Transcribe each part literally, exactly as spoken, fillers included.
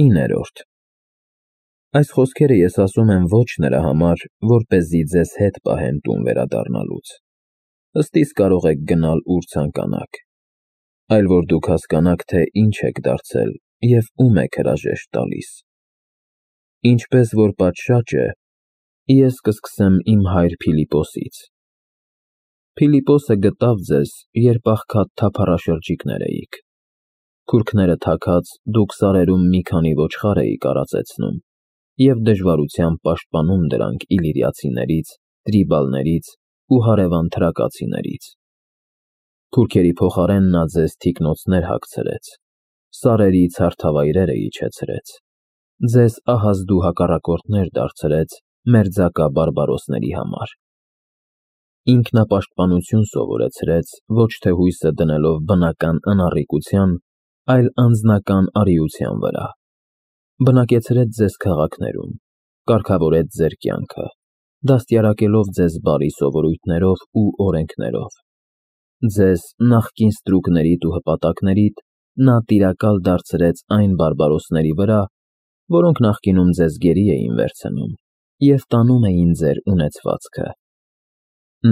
իններորդ Այս խոսքերը ես ասում եմ ոչ նրա համար, որպեսզի ձեզ հետ պահեմ տուն վերադառնալուց, ըստիս կարող եք գնալ ուր ցանկանաք, այլ որ դուք հասկանաք, թե ինչ եք դարձել և ում եք հրաժեշտ տալիս։ Ինչպես որ պատշաճ է, ես կսկսեմ իմ հայր Փիլիպոսից։ Փիլիպոսը գտավ ձեզ, երբ աղքատ թափառաշրջիկներ էիք։ Քուրքները թաքած դուք սարերում մի քանի ոչխար էիք արածեցնում և դժվարությամբ պաշտպանում դրանք իլիրիացիներից, տրիբալներից ու հարևան թրակացիներից։ Թուրքերի փոխարեն նա ձեզ թիկնոցներ հագցրեց, սարերից հարթավայրերը իջեցրեց, ձեզ ահազդու հակառակորդներ դարձրեց մերձակա բարբարոսների համար։ Ինքնապաշտպանություն սովորեցրեց ոչ թե հույսը դնելով բնական անառիկության, այլ անձնական արիության վրա։ Բնակեցրեց ձեզ քաղաքներում, կարգավորեց ձեր կյանքը, դաստիարակելով ձեզ բարի սովորույթներով ու օրենքներով։ Ձեզ նախկին ստրուկներիդ ու հպատակներիդ նա տիրակալ դարձրեց այն բարբարոսների վրա, որոնք նախկինում ձեզ գերի էին վերցնում և տանում էին ձեր ունեցվածքը։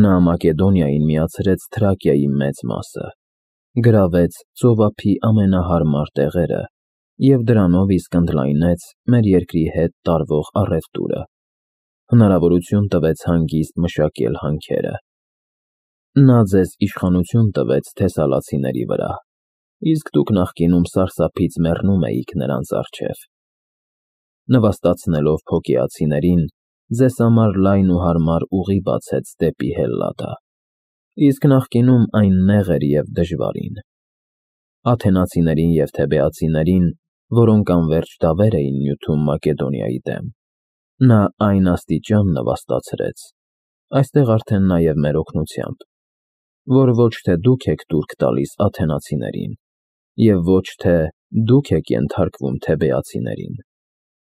Նա Մակեդոնիային միացրեց Թրակիայի մեծ մասը, գրավեց ծովափի ամենահարմար տեղերը և դրանով իսկ ընդլայնեց մեր երկրի հետ տարվող առևտուրը, հնարավորություն տվեց հանգիստ մշակել հանքերը։ Նա ձեզ իշխանություն տվեց թեսալացիների վրա, իսկ դուք նախկինում սարսափից մեռնում էիք նրանց առջև։ Նվաստացնելով Փոկեացիներին, ձեզ համար լայն ու հարմար ուղի բացեց դեպի Հելլադա, իսկ նախկինում այն նեղ էր և դժվարին։ Աթենացիներին և թեբեացիներին, որոնք անվերջ դավեր էին նյութում Մակեդոնիայի դեմ, նա այն աստիճան նվաստացրեց, այստեղ արդեն նաև մեր օգնությամբ, որ ոչ թե դուք եք տուրք տալիս աթենացիներին, և ոչ թե դուք եք ենթարկվում թեբեացիներին,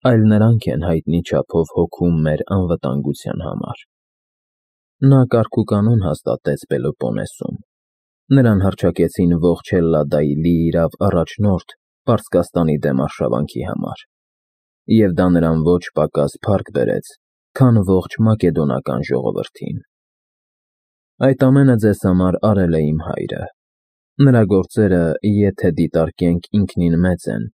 այլ նրանք են հայտնի չափով հոգում մեր անվտանգության համար։ Նա կարգուկանոն հաստատեց Պելոպոնեսում, նրան հռչակեցին ողջ Հելլադայի լիիրավ առաջնորդ Պարսկաստանի դեմ արշավանքի համար, և դա նրան ոչ պակաս փառք բերեց, քան ողջ մակեդոնական ժողովրդին։ Այդ ամենը ձեզ համար արել է իմ հայրը։ Նրա գործերը, եթե դիտարկենք, ինքնին մեծ են,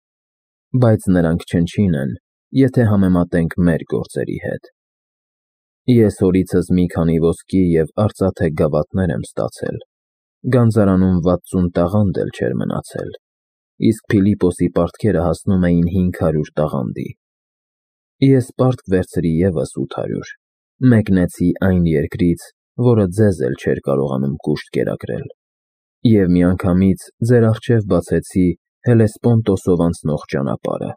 բայց նրանք չնչին են, եթե համեմատենք մեր գործերի հետ։ Ես հորիցս մի քանի ոսկի և արծաթե գավաթներ եմ ստացել, գանձարանում վաթսուն տաղանդ էլ չէր մնացել, իսկ Փիլիպոսի պարտքերը հասնում էին հինգ հարյուր տաղանդի։ Ես պարտք վերցրի ևս ութ հարյուր, մեկնեցի այն երկրից, որը ձեզ էլ չէր կարողանում կուշտ կերակրել, և միանգամից ձեր առջև բացեցի Հելեսպոնտոսով անցնող ճանապարհը,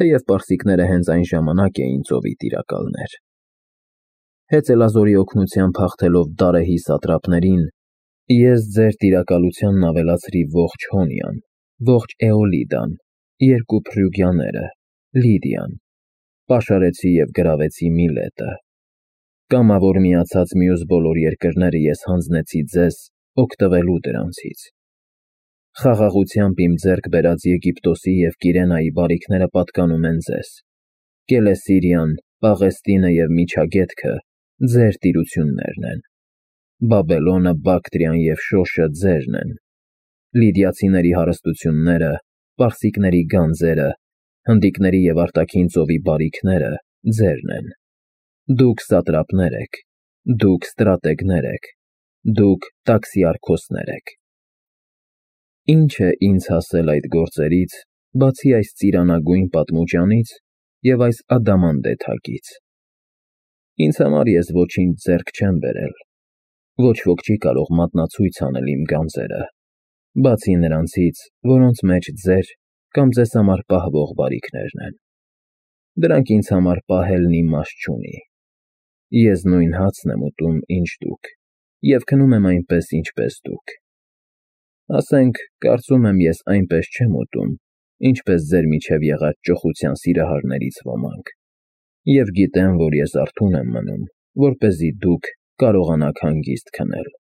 թեև պարսիկները հենց այն ժամանակ էին ծովի տիրակալներ։ Հեծելազորի օգնությամբ հաղթելով Դարեհի սատրապներին, ես ձեր տիրակալությանն ավելացրի ողջ Հոնիան, ողջ Էոլիդան, երկու Փրյուգիաները, Լիդիան, պաշարեցի և գրավեցի Միլետը։ Կամավոր միացած մյուս բոլոր երկրները ես հանձնեցի ձեզ օգտվելու դրանցից։ Խաղաղությամբ իմ ձեռք բերած Եգիպտոսի և Կիրենայի բարիքները պատկանում են ձեզ, Կելեսիրիան, Պաղեստինը և Միջագետքը ձեր տիրություններն են, Բաբելոնը, Բակտրիան և Շոշը ձերն են, լիդիացիների հարստությունները, պարսիկների գանձերը, հնդիկների և արտաքին ծովի բարիքները ձերն են։ Դուք սատրապներ եք, դուք ստրատեգներ եք, դուք տաքսիարքոսներ եք։ Ինչ է ինձ հասել այդ գործերից, բացի այս ծիրանագույն պատմուճանից և այս ադամանդե թագից։ Ինձ համար ես ոչինչ ձեռք չեմ բերել, ոչ ոք չի կարող մատնացույց անել իմ գանձերը, բացի նրանցից, որոնց մեջ ձեր կամ ձեզ համար պահվող բարիքներն են։ Դրանք ինձ համար պահելն իմաստ չունի։ Ես նույն հացն եմ ուտում, ինչ դուք, և քնում եմ այնպես, ինչպես դուք։ Ասենք, կարծում եմ, ես այնպես չեմ ուտում, ինչպես ձեր միջև եղած ճոխության սիրահարներից ոմանք, և գիտեմ, որ ես արթուն եմ մնում, որպեսզի դուք կարողանաք հանգիստ քնել։